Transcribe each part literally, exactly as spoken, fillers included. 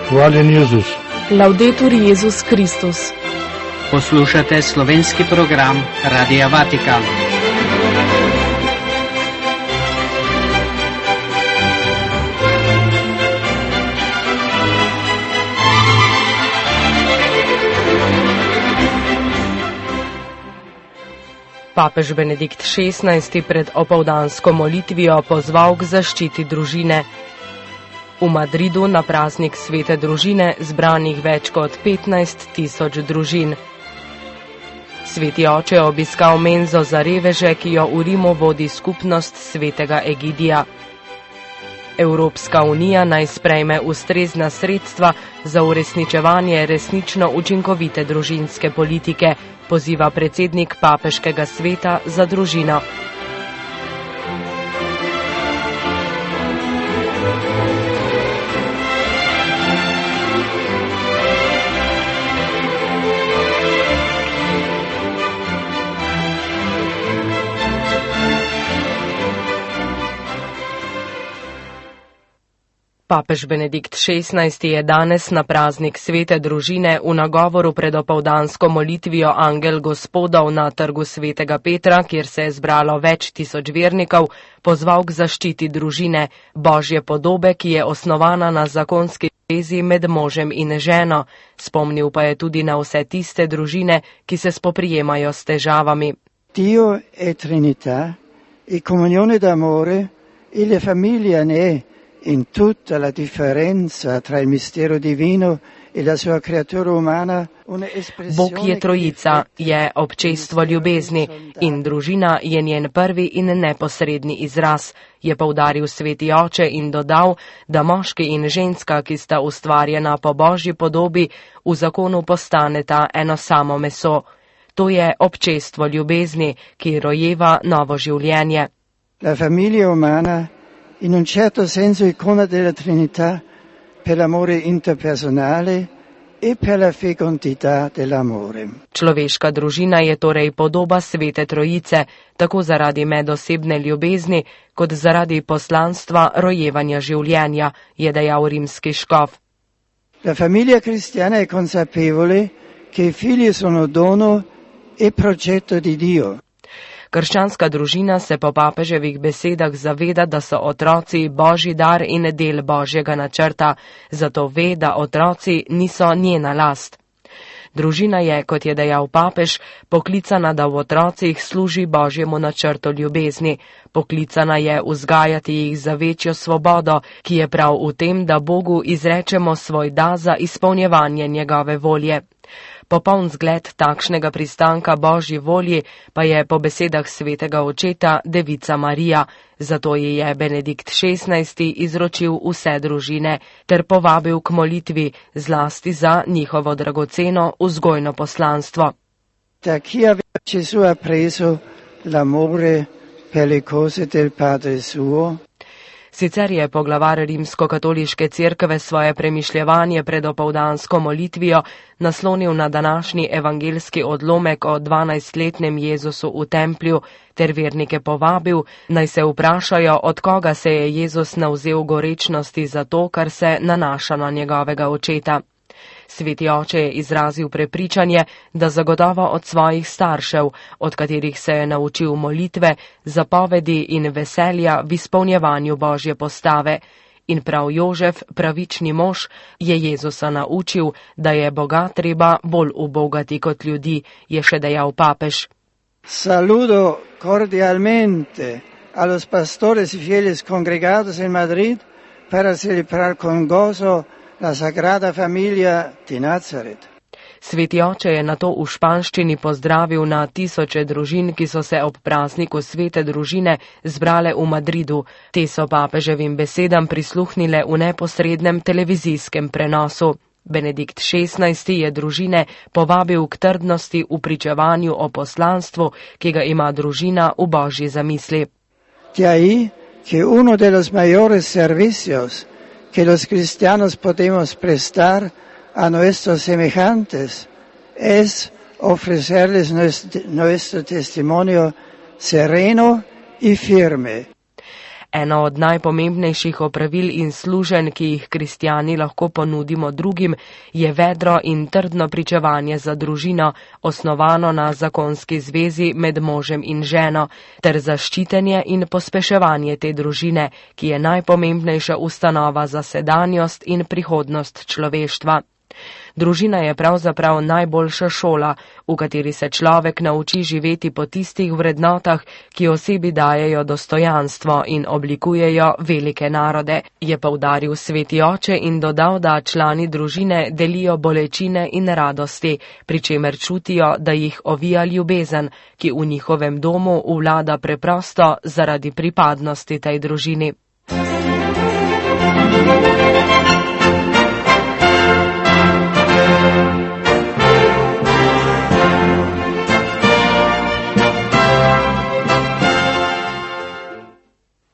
Hvaljen Jezus. Laudetur Jezus Kristus. Poslušate slovenski program Radia Vatikan. Papež Benedikt šestnajsti pred opoldansko molitvijo pozval k zaščiti družine. V Madridu na praznik svete družine zbranih več kot petnajst tisoč družin. Sveti oče je obiskal menzo za reveže, ki jo v Rimu vodi skupnost svetega Egidija. Evropska unija naj sprejme ustrezna sredstva za uresničevanje resnično učinkovite družinske politike, poziva predsednik Papeškega sveta za družino. Papež Benedikt šestnajsti je danes na praznik svete družine v nagovoru pred opoldansko molitvijo Angel Gospodov na trgu svetega Petra, kjer se je zbralo več tisoč vernikov, pozval k zaščiti družine, Božje podobe, ki je osnovana na zakonski vezi med možem in ženo. Spomnil pa je tudi na vse tiste družine, ki se spoprijemajo s težavami. Dio è Trinità, e comunione d'amore, e la famiglia ne è. In tutta la differenza tra il mistero divino e la sua creatura umana, Bog je trojica, je občestvo ljubezni in družina je njen prvi in neposredni izraz, je poudaril sveti oče in dodal, da moški in ženska, ki sta ustvarjena po Božji podobi, v zakonu postaneta eno samo meso. To je občestvo ljubezni, ki rojeva novo življenje. La famiglia umana in un certo senso icona della Trinità per l'amore interpersonale e per la fecondità dell'amore. Človeška družina je torej podoba svete trojice, tako zaradi medosebne ljubezni, kot zaradi poslanstva rojevanja življenja, je dejal rimski škof. La famiglia cristiana è consapevole che i figli sono dono e progetto di Dio. Krščanska družina se po papeževih besedah zaveda, da so otroci Božji dar in del Božjega načrta, zato ve, da otroci niso njena last. Družina je, kot je dejal papež, poklicana, da v otrocih služi Božjemu načrtu ljubezni. Poklicana je vzgajati jih za večjo svobodo, ki je prav v tem, da Bogu izrečemo svoj da za izpolnjevanje njegove volje. Popoln zgled takšnega pristanka Božji volji pa je po besedah svetega očeta Devica Marija, zato ji je Benedikt šestnajsti izročil vse družine ter povabil k molitvi, zlasti za njihovo dragoceno vzgojno poslanstvo. Da chi aveva Gesù appreso l'amore per le cose del Padre suo. Sicer je poglavar rimsko-katoliške cerkve svoje premišljevanje pred opoldansko molitvijo naslonil na današnji evangelski odlomek o dvanajstletnem Jezusu v templju ter vernike povabil, naj se vprašajo, od koga se je Jezus navzel gorečnosti za to, kar se nanaša na njegovega očeta. Sveti oče je izrazil prepričanje, da zagotovo od svojih staršev, od katerih se je naučil molitve, zapovedi in veselja v izpolnjevanju Božje postave. In prav Jožef, pravični mož, je Jezusa naučil, da je Boga treba bolj ubogati kot ljudi, je še dejal papež. Saludo cordialmente a los pastores y fieles congregados en Madrid para celebrar con gozo la Sagrada Familia di Nazaret. Sveti oče je nato v španščini pozdravil na tisoče družin, ki so se ob prazniku svete družine zbrale v Madridu. Te so papeževim besedam prisluhnile v neposrednem televizijskem prenosu. Benedikt šestnajsti je družine povabil k trdnosti v pričevanju o poslanstvu, ki ga ima družina v Božji zamisli. De ahí que uno de los mayores servicios que los cristianos podemos prestar a nuestros semejantes es ofrecerles nuestro, nuestro testimonio sereno y firme. Eno od najpomembnejših opravil in služenj, ki jih kristjani lahko ponudimo drugim, je vedro in trdno pričevanje za družino, osnovano na zakonski zvezi med možem in ženo, ter zaščitenje in pospeševanje te družine, ki je najpomembnejša ustanova za sedanjost in prihodnost človeštva. Družina je pravzaprav najboljša šola, v kateri se človek nauči živeti po tistih vrednotah, ki osebi dajejo dostojanstvo in oblikujejo velike narode, je poudaril sveti oče in dodal, da člani družine delijo bolečine in radosti, pri čemer čutijo, da jih ovija ljubezen, ki v njihovem domu vlada preprosto zaradi pripadnosti tej družini.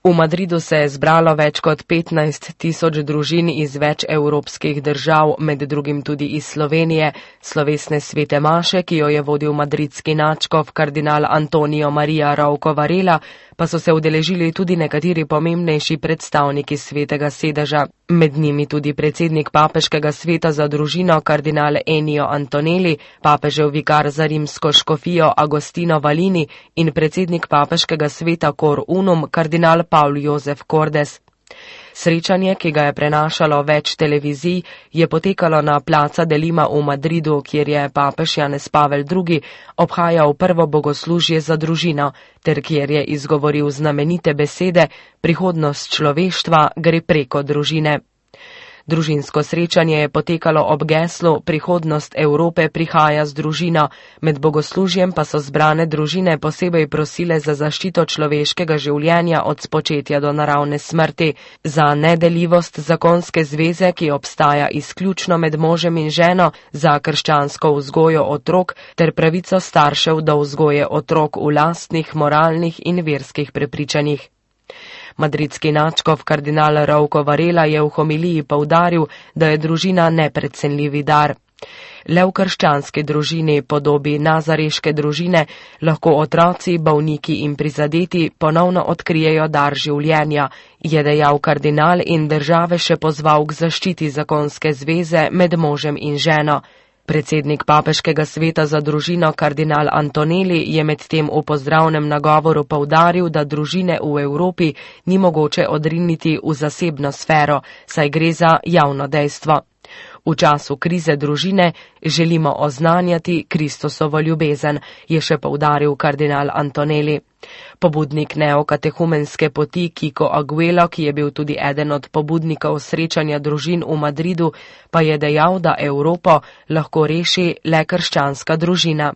V Madridu se je zbralo več kot petnajst tisoč družin iz več evropskih držav, med drugim tudi iz Slovenije, slovesne svete maše, ki jo je vodil madridski nadškof kardinal Antonio Maria Rouco Varela, pa so se udeležili tudi nekateri pomembnejši predstavniki svetega sedeža, med njimi tudi predsednik papeškega sveta za družino kardinal Ennio Antonelli, papežev vikar za rimsko škofijo Agostino Valini in predsednik papeškega sveta Cor Unum kardinal Paul Jozef Cordes. Srečanje, ki ga je prenašalo več televizij, je potekalo na Plaza de Lima v Madridu, kjer je papež Janez Pavel drugi. obhajal prvo bogoslužje za družino, ter kjer je izgovoril znamenite besede: prihodnost človeštva gre preko družine. Družinsko srečanje je potekalo ob geslu Prihodnost Evrope prihaja z družino, med bogoslužjem pa so zbrane družine posebej prosile za zaščito človeškega življenja od spočetja do naravne smrti, za nedeljivost zakonske zveze, ki obstaja izključno med možem in ženo, za krščansko vzgojo otrok ter pravico staršev do vzgoje otrok v lastnih moralnih in verskih prepričanjih. Madridski nadškof kardinal Rouco Varela je v homiliji poudaril, da je družina neprecenljivi dar. Le v krščanski družini, podobi nazareške družine, lahko otroci, bolniki in prizadeti ponovno odkrijejo dar življenja, je dejal kardinal in države še pozval k zaščiti zakonske zveze med možem in ženo. Predsednik papeškega sveta za družino kardinal Antonelli je medtem v pozdravnem nagovoru poudaril, da družine v Evropi ni mogoče odriniti v zasebno sfero, saj gre za javno dejstvo. V času krize družine želimo oznanjati Kristusovo ljubezen, je še poudaril kardinal Antonelli. Pobudnik neokatehumenske poti Kiko Aguelo, ki je bil tudi eden od pobudnikov srečanja družin v Madridu, pa je dejal, da Evropo lahko reši le krščanska družina.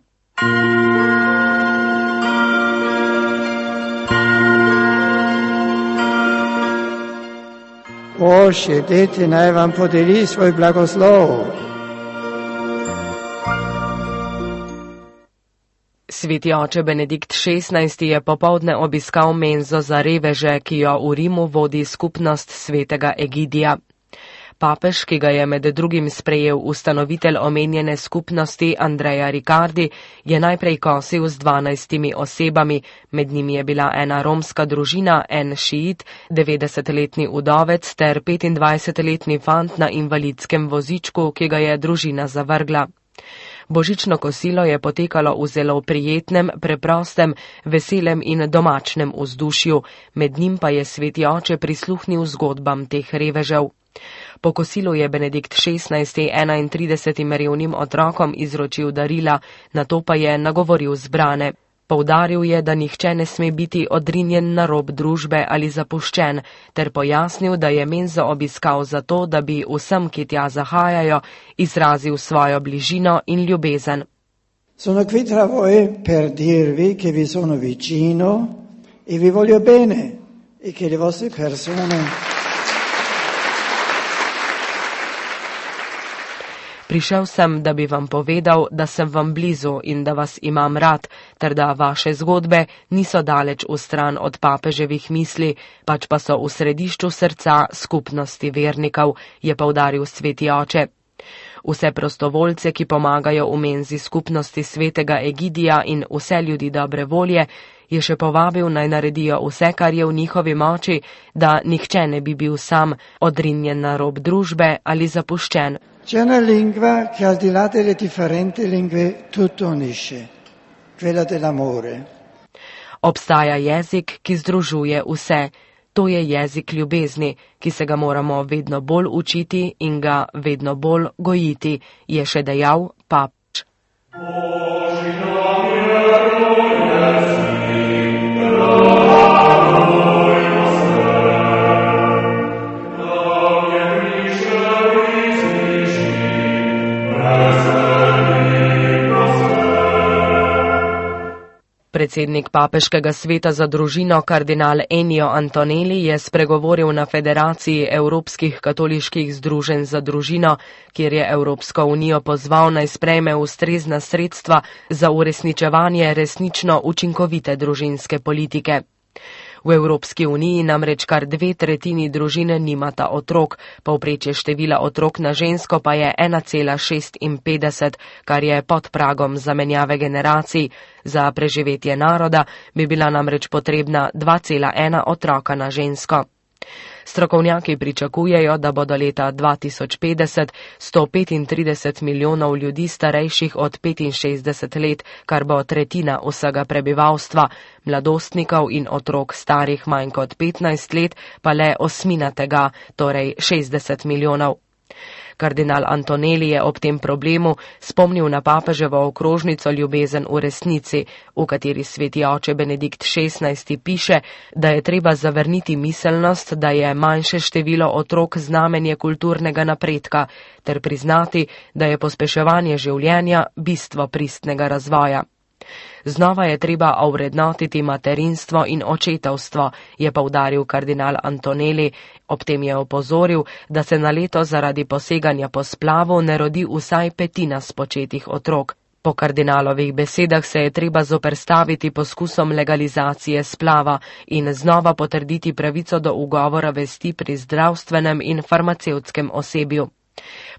Oče, dete naj vam podeli svoj blagoslov. Sveti oče Benedikt šestnajsti je popoldne obiskal menzo za reveže, ki jo v Rimu vodi skupnost svetega Egidija. Papež, ki ga je med drugim sprejel ustanovitelj omenjene skupnosti Andreja Riccardi, je najprej kosil z dvanajstimi osebami, med njimi je bila ena romska družina, en šiit, devetdesetletni udovec ter petindvajsetletni fant na invalidskem vozičku, ki ga je družina zavrgla. Božično kosilo je potekalo v zelo prijetnem, preprostem, veselem in domačnem vzdušju, med njim pa je sveti oče prisluhnil zgodbam teh revežev. Po kosilu je Benedikt šestnajsti enaintridesetim revnim otrokom izročil darila, nato pa je nagovoril zbrane. Poudaril je, da nihče ne sme biti odrinjen na rob družbe ali zapuščen, ter pojasnil, da je menzo obiskal zato, da bi vsem, ki tja zahajajo, izrazil svojo bližino in ljubezen. Sono qui tra voi per dirvi che vi sono vicino e vi voglio bene e che le vostre persone Prišel sem, da bi vam povedal, da sem vam blizu in da vas imam rad, ter da vaše zgodbe niso daleč v stran od papeževih misli, pač pa so v središču srca skupnosti vernikov, je poudaril sveti oče. Vse prostovoljce, ki pomagajo v menzi skupnosti svetega Egidija in vse ljudi dobre volje, Je še povabil, naj naredijo vse, kar je v njihovi moči, da nihče ne bi bil sam, odrinjen na rob družbe ali zapuščen. C'è una lingua che al di là delle differenti lingue tutto unisce, quella dell'amore. Obstaja jezik, ki združuje vse. To je jezik ljubezni, ki se ga moramo vedno bolj učiti in ga vedno bolj gojiti, je še dejal papež. Predsednik Papeškega sveta za družino kardinal Ennio Antonelli je spregovoril na Federaciji Evropskih katoliških združenj za družino, kjer je Evropsko unijo pozval naj sprejme ustrezna sredstva za uresničevanje resnično učinkovite družinske politike. V Evropski uniji namreč kar dve tretjini družine nimata otrok, povprečje števila otrok na žensko pa je ena cela šestinpetdeset, kar je pod pragom zamenjave generacij. Za preživetje naroda bi bila namreč potrebna dva cela ena otroka na žensko. Strokovnjaki pričakujejo, da bo do leta dva tisoč petdeset sto petintrideset milijonov ljudi starejših od petinšestdeset let, kar bo tretjina vsega prebivalstva, mladostnikov in otrok starih manj kot petnajst let pa le osmina tega, torej šestdeset milijonov. Kardinal Antonelli je ob tem problemu spomnil na papeževo okrožnico Ljubezen v resnici, v kateri sveti oče Benedikt šestnajsti piše, da je treba zavrniti miselnost, da je manjše število otrok znamenje kulturnega napredka, ter priznati, da je pospeševanje življenja bistvo pristnega razvoja. Znova je treba ovrednotiti materinstvo in očetovstvo, je poudaril kardinal Antonelli, ob tem je opozoril, da se na leto zaradi poseganja po splavu ne rodi vsaj petina spočetih otrok. Po kardinalovih besedah se je treba zoperstaviti poskusom legalizacije splava in znova potrditi pravico do ugovora vesti pri zdravstvenem in farmacevtskem osebju.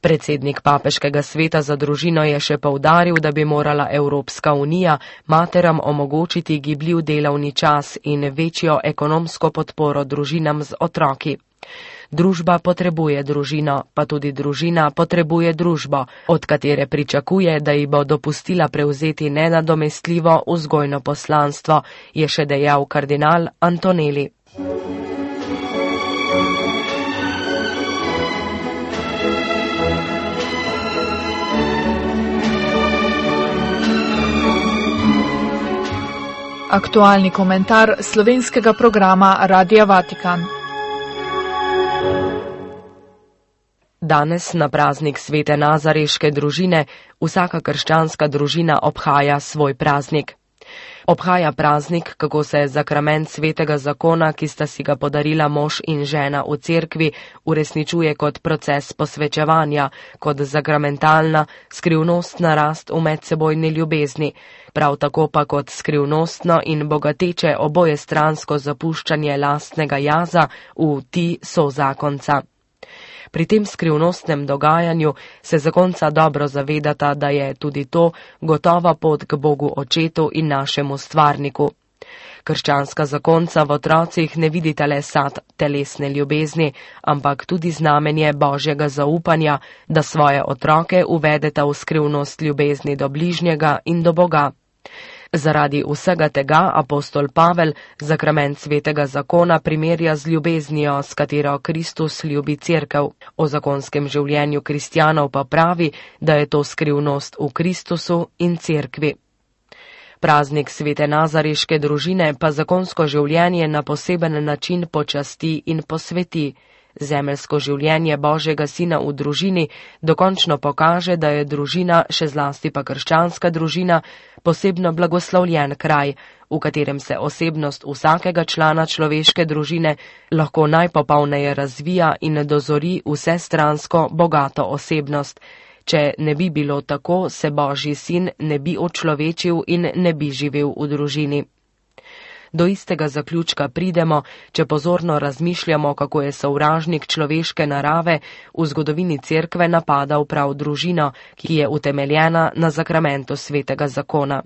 Predsednik Papeškega sveta za družino je še poudaril, da bi morala Evropska unija materam omogočiti gibljiv delovni čas in večjo ekonomsko podporo družinam z otroki. Družba potrebuje družino, pa tudi družina potrebuje družbo, od katere pričakuje, da ji bo dopustila prevzeti nenadomestljivo vzgojno poslanstvo, je še dejal kardinal Antonelli. Aktualni komentar slovenskega programa Radia Vatikan. Danes na praznik svete nazareške družine vsaka krščanska družina obhaja svoj praznik. Obhaja praznik, kako se zakrament svetega zakona, ki sta si ga podarila mož in žena v cerkvi, uresničuje kot proces posvečevanja, kot zakramentalna, skrivnostna rast v medsebojni ljubezni, prav tako pa kot skrivnostno in bogateče obojestransko zapuščanje lastnega jaza v ti sozakonca. Pri tem skrivnostnem dogajanju se zakonca dobro zavedata, da je tudi to gotova pot k Bogu Očetu in našemu stvarniku. Krščanska zakonca v otrocih ne vidita le sad telesne ljubezni, ampak tudi znamenje Božjega zaupanja, da svoje otroke uvedeta v skrivnost ljubezni do bližnjega in do Boga. Zaradi vsega tega apostol Pavel zakrament svetega zakona primerja z ljubeznijo, s katero Kristus ljubi cerkev. O zakonskem življenju kristjanov pa pravi, da je to skrivnost v Kristusu in cerkvi. Praznik svete nazareške družine pa zakonsko življenje na poseben način počasti in posveti. Zemeljsko življenje Božjega Sina v družini dokončno pokaže, da je družina, še zlasti pa krščanska družina, posebno blagoslovljen kraj, v katerem se osebnost vsakega člana človeške družine lahko najpopolneje razvija in dozori vsestransko bogato osebnost. Če ne bi bilo tako, se Božji Sin ne bi očlovečil in ne bi živel v družini. Do istega zaključka pridemo, če pozorno razmišljamo, kako je sovražnik človeške narave v zgodovini cerkve napadal prav družino, ki je utemeljena na zakramentu svetega zakona.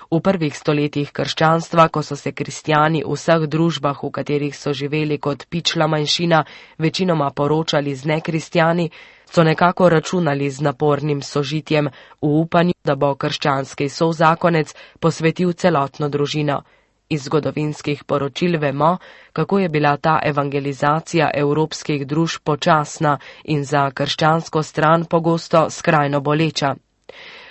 V prvih stoletjih krščanstva, ko so se kristjani v vseh družbah, v katerih so živeli kot pičla manjšina, večinoma poročali z nekristjani, so nekako računali z napornim sožitjem v upanju, da bo krščanski sozakonec posvetil celotno družino. Iz zgodovinskih poročil vemo, kako je bila ta evangelizacija evropskih družb počasna in za krščansko stran pogosto skrajno boleča.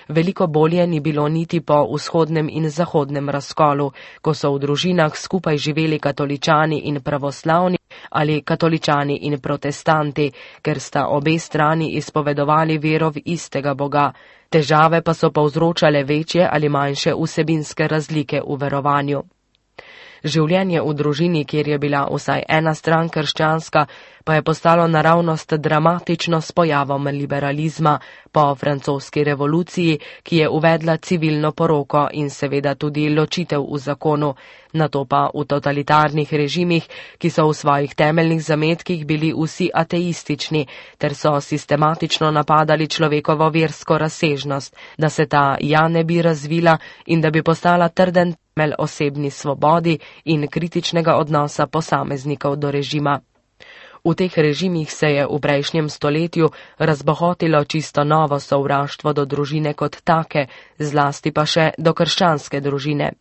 Veliko bolje ni bilo niti po vzhodnem in zahodnem razkolu, ko so v družinah skupaj živeli katoličani in pravoslavni ali katoličani in protestanti, ker sta obe strani izpovedovali vero v istega Boga. Težave pa so povzročale večje ali manjše vsebinske razlike v verovanju. Življenje v družini, kjer je bila vsaj ena stran krščanska, pa je postalo naravnost dramatično s pojavom liberalizma po francoski revoluciji, ki je uvedla civilno poroko in seveda tudi ločitev v zakonu, nato pa v totalitarnih režimih, ki so v svojih temeljnih zametkih bili vsi ateistični, ter so sistematično napadali človekovo versko razsežnost, da se ta ja ne bi razvila in da bi postala trden temelj osebni svobodi in kritičnega odnosa posameznikov do režima. V teh režimih se je v prejšnjem stoletju razbohotilo čisto novo sovraštvo do družine kot take, zlasti pa še do krščanske družine.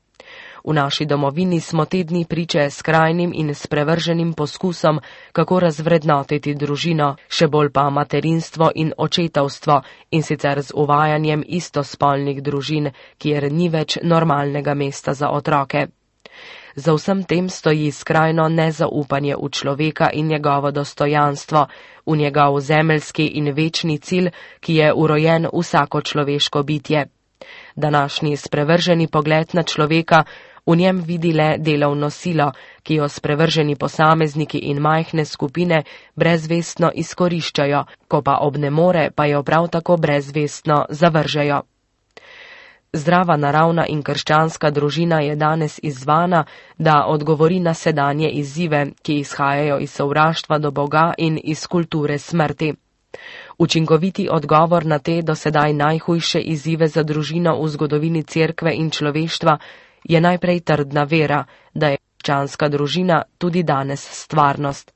V naši domovini smo te dni priče skrajnim in sprevrženim poskusom, kako razvrednotiti družino, še bolj pa materinstvo in očetovstvo, in sicer z uvajanjem istospolnih družin, kjer ni več normalnega mesta za otroke. Za vsem tem stoji skrajno nezaupanje v človeka in njegovo dostojanstvo, v njegov zemeljski in večni cilj, ki je urojen vsako človeško bitje. Današnji sprevrženi pogled na človeka v njem vidi le delovno silo, ki jo sprevrženi posamezniki in majhne skupine brezvestno izkoriščajo, ko pa obnemore, pa jo prav tako brezvestno zavržejo. Zdrava naravna in krščanska družina je danes izzvana, da odgovori na sedanje izzive, ki izhajajo iz sovraštva do Boga in iz kulture smrti. Učinkoviti odgovor na te do sedaj najhujše izzive za družino v zgodovini cerkve in človeštva je najprej trdna vera, da je krščanska družina tudi danes stvarnost.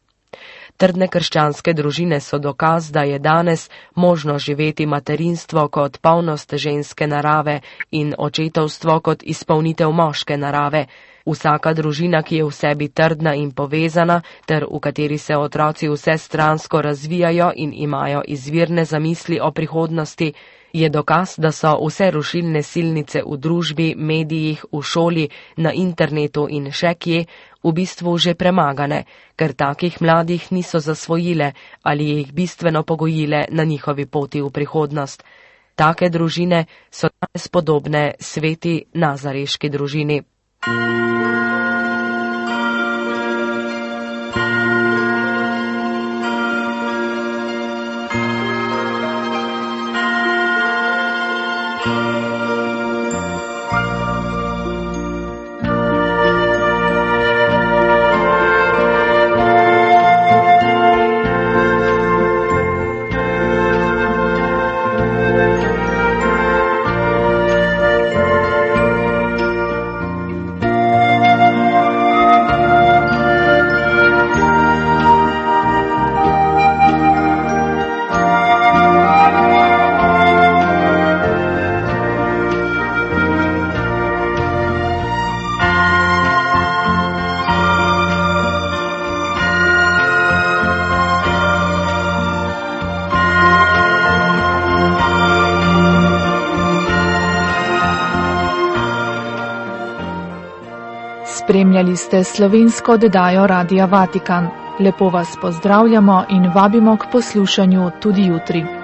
Trdne krščanske družine so dokaz, da je danes možno živeti materinstvo kot polnost ženske narave in očetovstvo kot izpolnitev moške narave. Vsaka družina, ki je v sebi trdna in povezana, ter v kateri se otroci vsestransko razvijajo in imajo izvirne zamisli o prihodnosti, je dokaz, da so vse rušilne silnice v družbi, medijih, v šoli, na internetu in še kje v bistvu že premagane, ker takih mladih niso zasvojile ali jih bistveno pogojile na njihovi poti v prihodnost. Take družine so danes podobne sveti nazareški družini. Spremljali ste slovensko oddajo Radia Vatikan. Lepo vas pozdravljamo in vabimo k poslušanju tudi jutri.